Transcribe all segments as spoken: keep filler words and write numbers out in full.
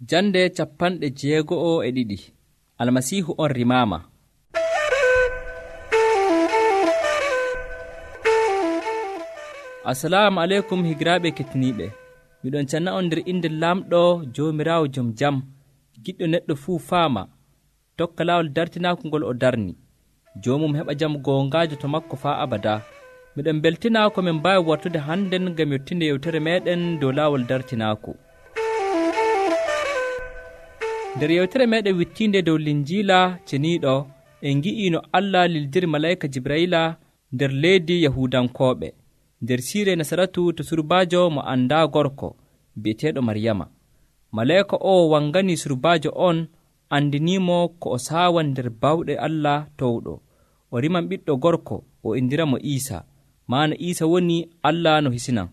Jande capanɗe jeego'o e ɗiɗi. Almasiihu on rimaama. Assalamu aleykum higiraaɓe kettiniiɓe. Miɗon canna on nder inde lamɗo Joomiraawo jom jam, giɗɗo neɗɗo fuu faama, tokka laawol dartinaako ngol o darni. Joomum heɓa jam goongaajo to makko faa abada. Miɗon beltina ko min mbaawi wartude hannden ngam yottinde yewtere meeɗen dow laawol dartinaako. Nder yewtere meeɗen wittiinde dow Linjiila ceniiɗo, en ngi'ii no Allah lildiri malayika Jibrayila nder leydi Yahuudankooɓe, nder siire Nasaratu to surbaajo mo anndaa gorko bi'eteeɗo Maryama. Malayika o wanganii surbaajo on, andiniimo ko o saawan nder bawɗe Allah towɗo. O riman ɓiɗɗo gorko, o indiramo Iisa, maana Iisa woni Allah no hisinan.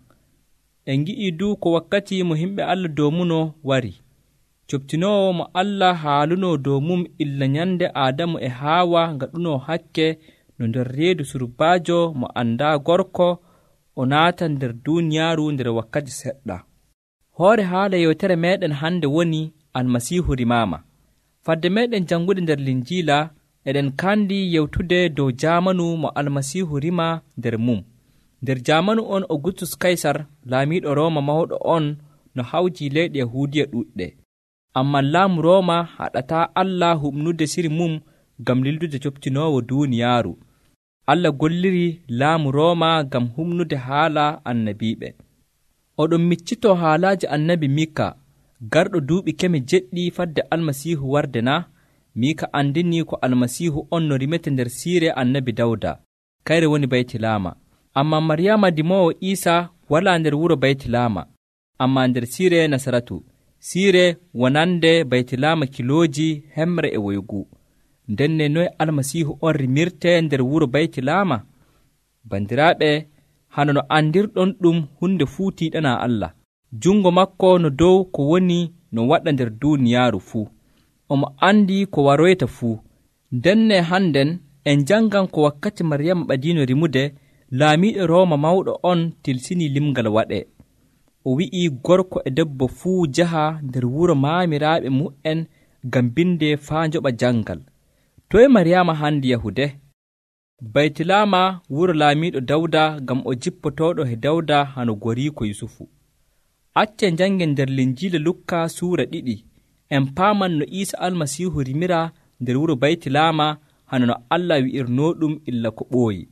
En ngi'ii du ko wakkati mo himɓe Allah doomuno wari. Coptinoowo mo Allah haalunoo dow mum illa nyande Aadamu e Haawa ngaɗunoo hakke no nder reedu surbaajo mo anndaa gorko o naata nder duuniyaaru nder wakkati seɗɗa. Hoore haala yewtere meeɗen hande woni Almasiihu rimaama. Fadde meeɗen jangude nder Linjiila eɗen kandi yewtude dow jaamanu mo Almasiihu rima nder mum. Nder jaamanu on Augustus Kaysar laamiiɗo Rooma mawɗo on no hawji leyɗe Yahuudiya ɗuɗɗe. Amman laamu Rooma haɗataa Allah huɓnude siri mum ngam lildude coptinoowo duuniyaaru. Allah golliri laamu Rooma ngam humnude haala annabiiɓe. Oɗon miccitoo haalaaji annabi Miika, garɗo duuɓi keme jeɗɗi fadde Almasiihu warde na? Miika andini ko Almasiihu on no rimete nder siire annabi Dawda, kayre woni Baytilama. Ammaa Maryama dimoowo Iisa walaa nder wuro Baytilama, ammaa nder siire Nasaratu, siire wonande Baytilama kilooji hemre e woygu. Ndenne noye Almasiihu on rimirte nder wuro Baytilama? Bandiraaɓe, hano no andirɗon ɗum hunde fuu tiiɗanaa Allah. Jungo makko no dow ko woni no waɗa nder duuniyaaru fuu. Omo andi ko waroyta fuu. Ndenne hannden en jangan ko wakkati Maryama ɓadiino rimude, laamiiɗo Rooma mawɗo on tilsinii limngal waɗee. O wi'ii gorko e debbo fuu jaha nder wuro maamiraaɓe mu'en ngam binde faa njoɓa jangal. Toye Maryama handi yahude? Baytilama wuro laamiiɗo Dawda ngam o jippotooɗo he Dawda hano gorii ko Yusufu. Acce jangen nder Linjiila Lukka suura ɗiɗi, en paaman no Iisa Almasiihu rimira nder wuro Baytilama hano no Allah wi'irnooɗum illa ko ɓooyi.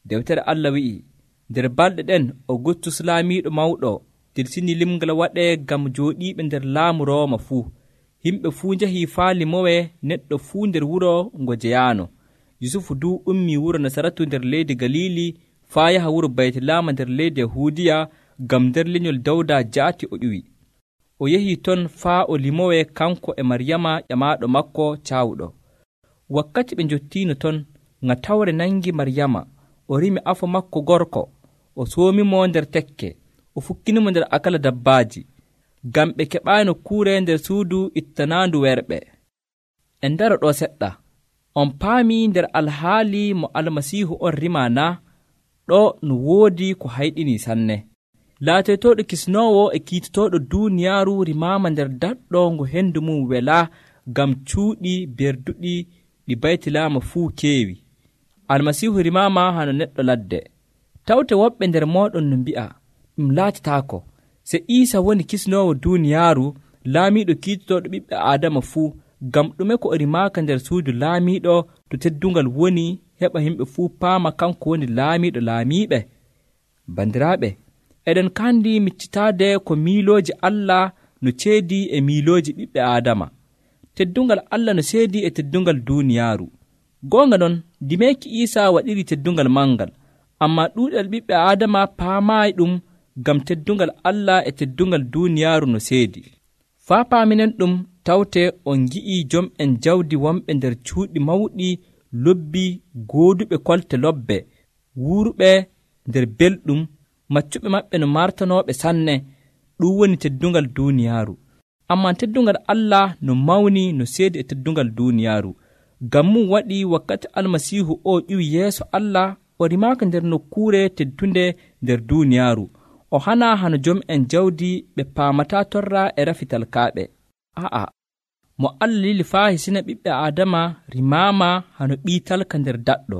Dewtere Allah wi'i, nder balɗe ɗen Augustus laamiiɗo mawɗo tilsini limngal waɗee ngam jooɗiiɓe nder laamu Rooma fuu. Himɓe fuu njahii faa limowe neɗɗo fuu nder wuro ngo jeyaano. Yusufu du ummii wuro Nasaratu nder leydi Galili faa yaha wuro Baytilama nder leydi Yahuudiya ngam nder lenyol Dawda jaati o ƴuwi. O yahii ton faa o limowe kanko e Maryama ƴamaaɗo makko caawɗo. Wakkati ɓe njottiino ton, ŋatawre nangi Maryama. O rimi afo makko gorko, o soomimo nder tekke, o fukkinimo nder akala dabbaaji, ngam ɓe keɓaano kuure nder suudu ittanaandu werɓe. En ndaro ɗo seɗɗa. On paami nder alhaali mo Almasiihu on rima na? Ɗo no woodi ko hayɗinii sanne. Laatoytooɗo kisnoowo e kiitotooɗo duuniyaaru rimaama nder daɗɗo ngo henndu mum welaa ngam cuuɗi berduɗi ɗi Baytilama fuu keewi. Almasiihu rimaama hano neɗɗo ladde. Tawte woɓɓe nder mooɗon no mbi'a, ɗum laatataako. Se Iisa woni kisnoowo duuniyaaru, laamiiɗo kiitotooɗo ɓiɓɓe Aadama fuu, ngam ɗume ko o rimaaka nder suudu laamiiɗo to teddungal woni heɓa yimɓe fuu paama kanko woni laamiiɗo laamiiɓe? Bandiraaɓe, eɗen kandi miccitaade ko miilooji Allah no ceedii e miilooji ɓiɓɓe Aadama. Teddungal Allah no seedii e teddungal duuniyaaru. Goonga non, dimeeki Iisa waɗiri teddungal mangal, ammaa ɗuuɗal ɓiɓɓe Aadama paamaayi ɗum ngam teddungal Allah e teddungal duuniyaaru no seedi. Faa paaminen ɗum tawte on ngi'ii jom'en jawdi wonɓe nder cuuɗi mawɗi lobbi gooduɓe kolte lobbe, wuurɓe nder belɗum, maccuɓe maɓɓe no martanooɓe sanne. Ɗum woni teddungal duuniyaaru. Ammaa teddungal Allah no mawni no seedi e teddungal duuniyaaru. Ngam mum waɗi wakkati Almasiihu o ƴiwi yeeso Allah, o rimaaka nder nokkuure teddunde nder duuniyaaru. O hana hano jom'en jawdi ɓe paamataa torra e rafital kaaɓe. A'a, mo Allah lili faa hisina ɓiɓɓe Aadama rimaama hano ɓii talka nder daɗɗo.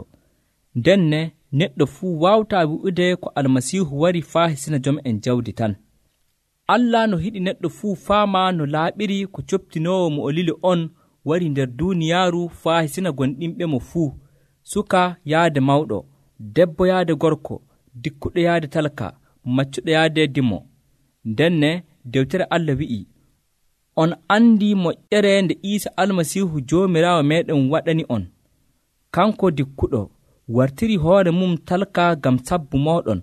Ndenne neɗɗo fuu waawtaa wi'ude ko Almasiihu wari faa hisina jom'en jawdi tan. Allah no hiɗi neɗɗo fuu faama no laaɓiri ko coptinoowo mo o lili on wari nder duuniyaaru faa hisina gonɗinɓe mo fuu, suka yaade mawɗo, debbo yaade gorko, dikkuɗo yaade talka, maccuɗo yaade dimo. Ndenne dewtere Allah wi'i, on andi moƴƴere nde Iisa Almasiihu Joomiraawo meeɗen waɗani on. Kanko dikkuɗo wartiri hoore mum talka ngam sabbu mooɗon,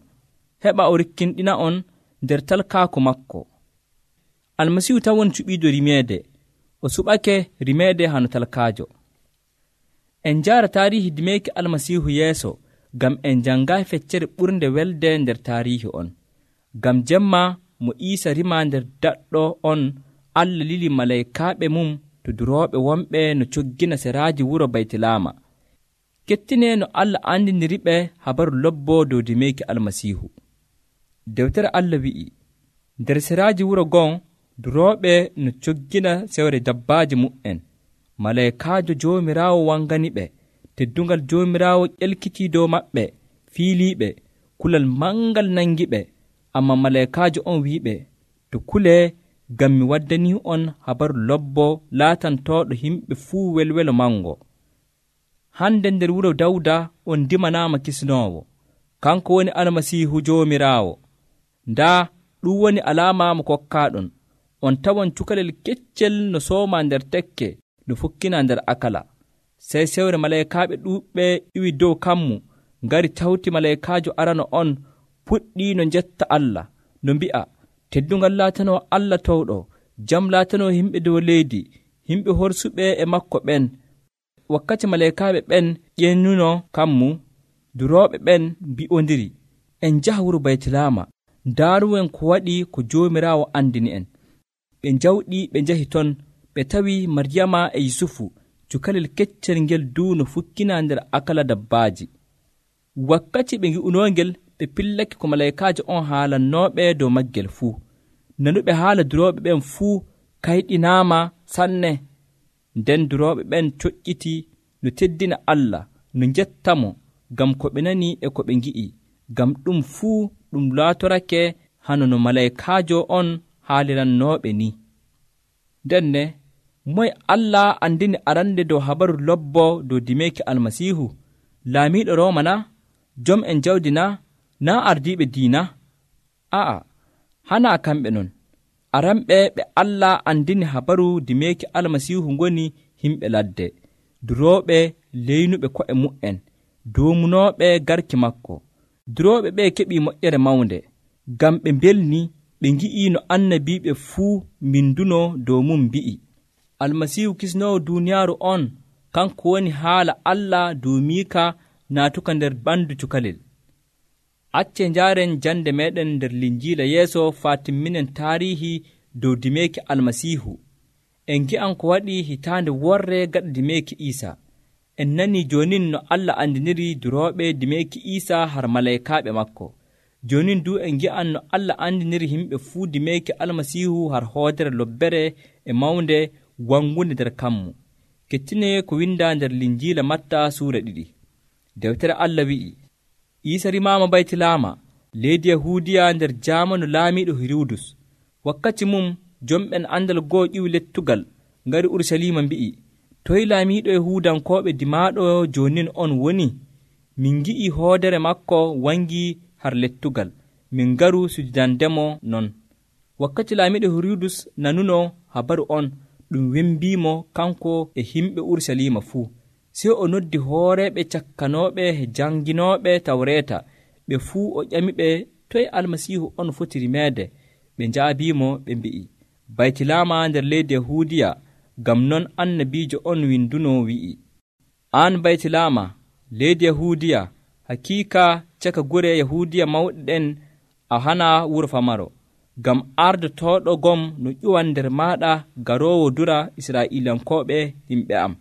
heɓa o rikkinɗina on nder talkaako makko. Almasiihu tan woni cuɓiiɗo rimeede, o suɓake rimeede hano talkaajo. En njaara taarihi dimeeki Almasiihu yeeso ngam en janngaayi feccere ɓurnde welde nder taarihi on. Ngam jemma mo Iisa rima nder daɗɗo on, Allah lili malaykaaɓe mum to durooɓe wonɓe no coggina seraaji wuro Baytilama. Kettine no Allah andiniri ɓe habaru lobbo dow dimeeki Almasiihu. Dewtere Allah wi'i, nder seraaji wuro gon durooɓe no coggina sewre dabbaaji mu'en. Malaykaajo Joomiraawo wangani ɓe, teddungal Joomiraawo ƴelkitii dow maɓɓe, fiiliiɓe, kulal mangal nangi ɓe. Amma malaykaajo on wi'iɓe, to kulee ngam mi waddanii on habaru lobbo laatantooɗo yimɓe fuu welwelo mango. Hande nder wuro Dawda on dimanaama kisnoowo, kanko woni Almasiihu Joomiraawo. Ndaa ɗum woni alaama mo kokkaaɗon. On tawan cukalel keccel no sooma nder tekke no fukkina nder akala. Sey sewre malaykaaɓe ɗuuɓɓe iwi dow kammu, ngari tawti malaykaajo arano on, puɗɗii no njetta Allah, no mbi'a, teddungal laatanoo Allah towɗo, jam laatanoo yimɓe dow leydi, yimɓe horsuɓe e makko ɓen. Wakkati malaykaaɓe ɓen ƴennuno kammu, durooɓe ɓen mbi'ondiri, en njaha wuro Baytilama, ndaaruwen ko waɗi ko Joomiraawo andini en. Ɓe njawɗi ɓe njahi ton, ɓe tawi Maryama e Yusufu, cukalel keccel ngel duuno fukkina nder akala dabbaaji. Wakkati ɓe ngi'unoongel, ɓe pillake ko malaykaajo on haalannooɓe dow maggel fuu. Nanuɓe haala durooɓe ɓen fuu kayɗinaama sanne. Nden durooɓe ɓen coƴƴiti no teddina Allah, no njettamo ngam ko ɓe nani e ko ɓe ngi'i, ngam ɗum fuu ɗum laatorake hano no malaykaajo on haalirannooɓe ni. Ndenne moye Allah andini arande dow habaru lobbo dow dimeeki Almasiihu? Laamiiɗo Rooma na? Jom en jawdi na? Naa ardiiɓe diina? A'a, hana kamɓe non. Aranɓe ɓe Allah andini habaru dimeeki Almasiihu ngoni himɓe ladde, durooɓe leynuɓe ko'e mu'en, doomunooɓe garki makko. Durooɓe ɓe keɓii moƴƴere mawnde, ngam ɓe mbelni ɓe ngi'ii no annabiiɓe fuu mindunoo dow mum mbi'i. Almasiihu kisnoowo duuniyaaru on, kanko woni haala Allah duumiika naatuka nder ɓandu cukalel. Acce njaaren jande meɗen nder Linjiila yeeso faa timminen taarihi dow dimeeki Almasiihu. En ngi'an ko waɗi hitaande worre gaɗa dimeeki Iisa. En nanii joonin no Allah andiniri durooɓe dimeeki Iisa har malaykaaɓe makko. Joonin du en ngi'an no Allah andiniri yimɓe fuu dimeeki Almasiihu har hoodere lobbere e mawnde wangunde nder kammu. Kettine ko winda nder Linjiila Matta suura ɗiɗi. Dewtere Allah wi'i, Iisa rimaama Baytilama, leydi Yahuudiya nder jaamanu laamiiɗo Hirudus. Wakkati mum jomɓen andal goo ƴiwi lettugal ngari Urusalima mbi'i, toy laamiiɗo Yahuudankooɓe dimaaɗo joonin on woni? Min ngi'i hoodere makko wangi har lettugal, min ngaru sujudandemo non. Wakkati laamiiɗo Hirudus nanuno habaru on, ɗum wembiimo kanko e himɓe Urusalima fuu. Sey o noddi hooreɓe cakkanooɓe e janginooɓe tawreeta, ɓe fuu o ƴamiɓe toy Almasiihu on foti rimeede. Ɓe njaabiimo ɓe mbi'i, Baytilama nder leydi Yahuudiya, ngam non annabiijo on winduno wi'i, an Baytilama, leydi Yahuudiya, hakiika caka gure Yahuudiya mawɗe ɗen a hana wuro famaro, ngam ardotooɗo gom no ƴuwan nder maaɗa garoowo dura Israa'iilankooɓe yimɓe am.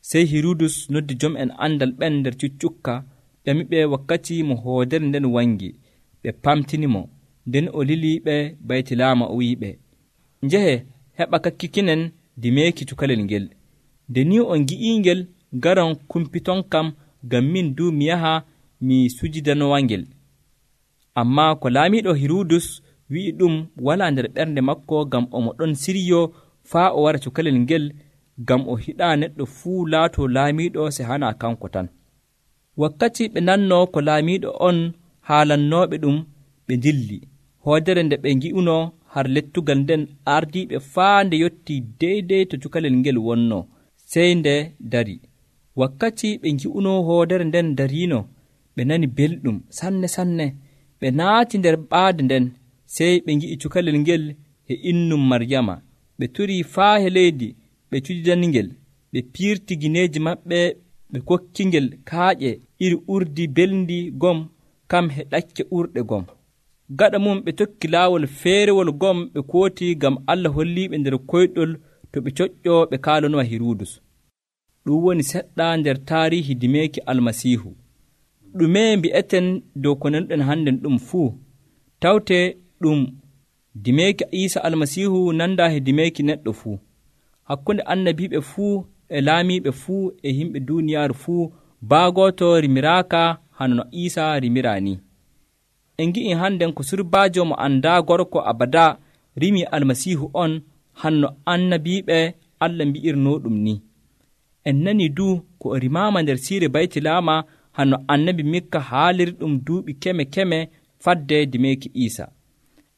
Sey Hirudus noddi jom'en andal ɓen nder cuccukka, ƴamiɓe wakkati mo hoodere nden wangi. Ɓe pamtinimo, nden o liliiɓe Baytilama o wi'iɓe, njehe heɓa kakkikinen dimeeki cukalel ngel. Nde ni on gi'ingel garan kumpiton kam ngam min du mi yaha mi sujidanowangel. Ammaa ko laamiiɗo Hirudus wi'i ɗum walaa nder ɓernde makko, ngam omo ɗon siryo faa o wara cukalel ngel, ngam o hiɗaa neɗɗo fuu laatoo laamiiɗo se hana kanko tan. Wakkati ɓe nannoo ko laamiiɗo on haalannooɓe ɗum, ɓe dilli. Hoodere nde ɓe ngi'unoo har lettugal nden ardiiɓe faa nde yottii deydey to cukalel ngel wonnoo, sey nde dari. Wakkati ɓe ngi'unoo hoodere nden dariino, ɓe nani belɗum sanne sanne. Ɓe naati nder ɓaade nden, sey ɓe ngi'i cukalel ngel e innum Maryama. Ɓe turii faa he leydi, ɓe cujidaningel, ɓe piirti gineeji maɓɓe, ɓe kokkingel kaaƴe iri urdi belndi gom, kam he ɗakke urɗe gom. Gaɗa mum ɓe tokki laawol feerewol gom ɓe kooti, ngam Allah holliiɓe nder koyɗol to ɓe coƴƴoo ɓe kaalanowa Hirudus. Ɗum woni seɗɗa nder taariihi dimeeki Almasiihu. Ɗume mbi'eten dow ko nanuɗen hannden ɗum fuu? Tawte ɗum dimeeki Iisa Almasiihu nandaa he dimeeki neɗɗo fuu. Hakkunde annabiiɓe fuu e laamiiɓe fuu e yimɓe duuniyaaru fuu, baagooto rimiraaka hano no Iisa rimiraa ni. En ngi'i hannden ko surbaajo mo anndaa gorko abada rimii Almasiihu on, hanno annabiiɓe Allah mbi'irnoo ɗum ni. En nanii du ko o rimaama nder siire Baytilaama, hanno annabi Mikka haaliri ɗum duuɓi keme keme fadde dimeeki Iisa.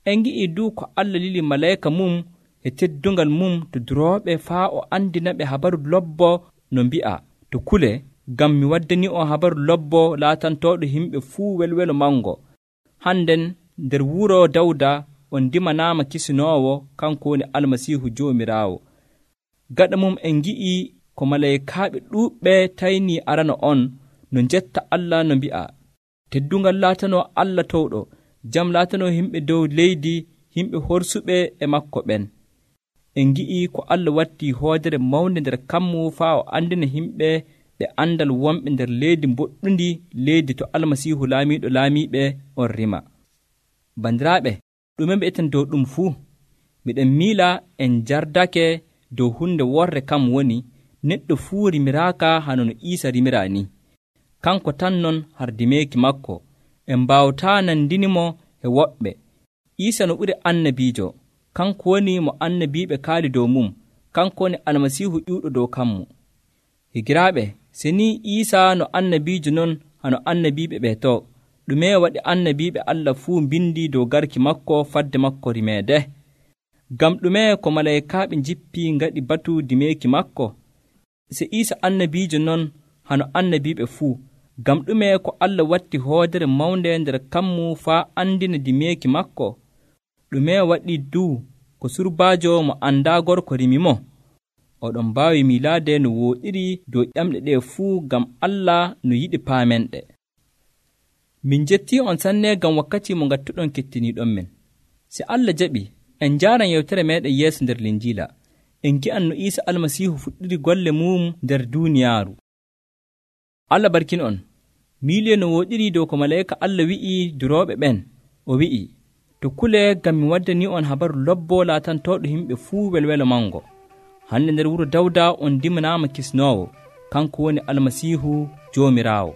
En ngi'i du ko Allah lili malayka mum e teddungal mum to durooɓe faa o andina ɓe habaru lobbo no mbi'a to kule, ngam mi waddani on habaru lobbo laatantooɗo yimɓe fuu welwelo mango. Hannden nder wuro Dawda on dimanaama kisinoowo, kanko woni Almasiihu Joomiraawo. Gaɗa mum en ngi'i ko malaykaaɓe ɗuuɓɓe taynii arana on no njetta Allah no mbi'a teddungal laatanoo Allah towɗo, jam laatanoo yimɓe dow leydi, yimɓe horsuɓe e makko ɓen. En ngi'i ko Allah wattii hoodere mawnde nder kammu faa o andina yimɓe ɓe andal wonɓe nder leydi mboɗɗundi, leydi to Almasiihu laamiiɗo laamiiɓe on rima. Bandiraaɓe, ɗume mbi'eten dow ɗum fuu? Miɗen miila en jardake dow hunde worre kam woni neɗɗo fuu rimiraaka hano no Iisa rimiraa ni. Kanko tan non har dimeeki makko en mbaawataa nandinimo e woɓɓe. Iisa no ɓuri annabiijo, kanko woni mo annabiiɓe kaali dow mum, kanko woni Almasiihu ƴuuɗo dow kammu. Higiraaɓe, se ni Iisa no annabiijo non hano annabiiɓe ɓe to, ɗume waɗi annabiiɓe Allah fuu mbindi dow garki makko fadde makko rimeede? Ngam ɗume ko malaykaaɓe njippi ngaɗi batu dimeeki makko? Se Iisa annabiijo non hano annabiiɓe fuu, ngam ɗume ko Allah watti hoodere mawnde nder kammu faa andina dimeeki makko? Ɗume waɗi du ko surbaajo mo anndaa gorko rimi mo? Oɗon mbaawi miilaade no wooɗiri dow ƴamɗe ɗe fuu, ngam Allah no yiɗi paamen ɗe. Min jettii on sanne ngam wakkati mo ngattuɗon kettiniiɗon men. Se Allah jaɓi, en njaaran yewtere meeɗen yeeso nder Linjiila, en gi'an no Iisa Almasiihu fuɗɗiri golle mum nder duuniyaaru. Allah barkin on. Miiliye no wooɗiri dow ko malayka Allah wi'i durooɓe ɓen, o wi'i, to kule ngam mi waddani on habaru lobbo laatantooɗo yimɓe fuu welwelo mango. Hande nder wuro Dawda on dimanaama kisnoowo, kanko woni Almasiihu Joomiraawo.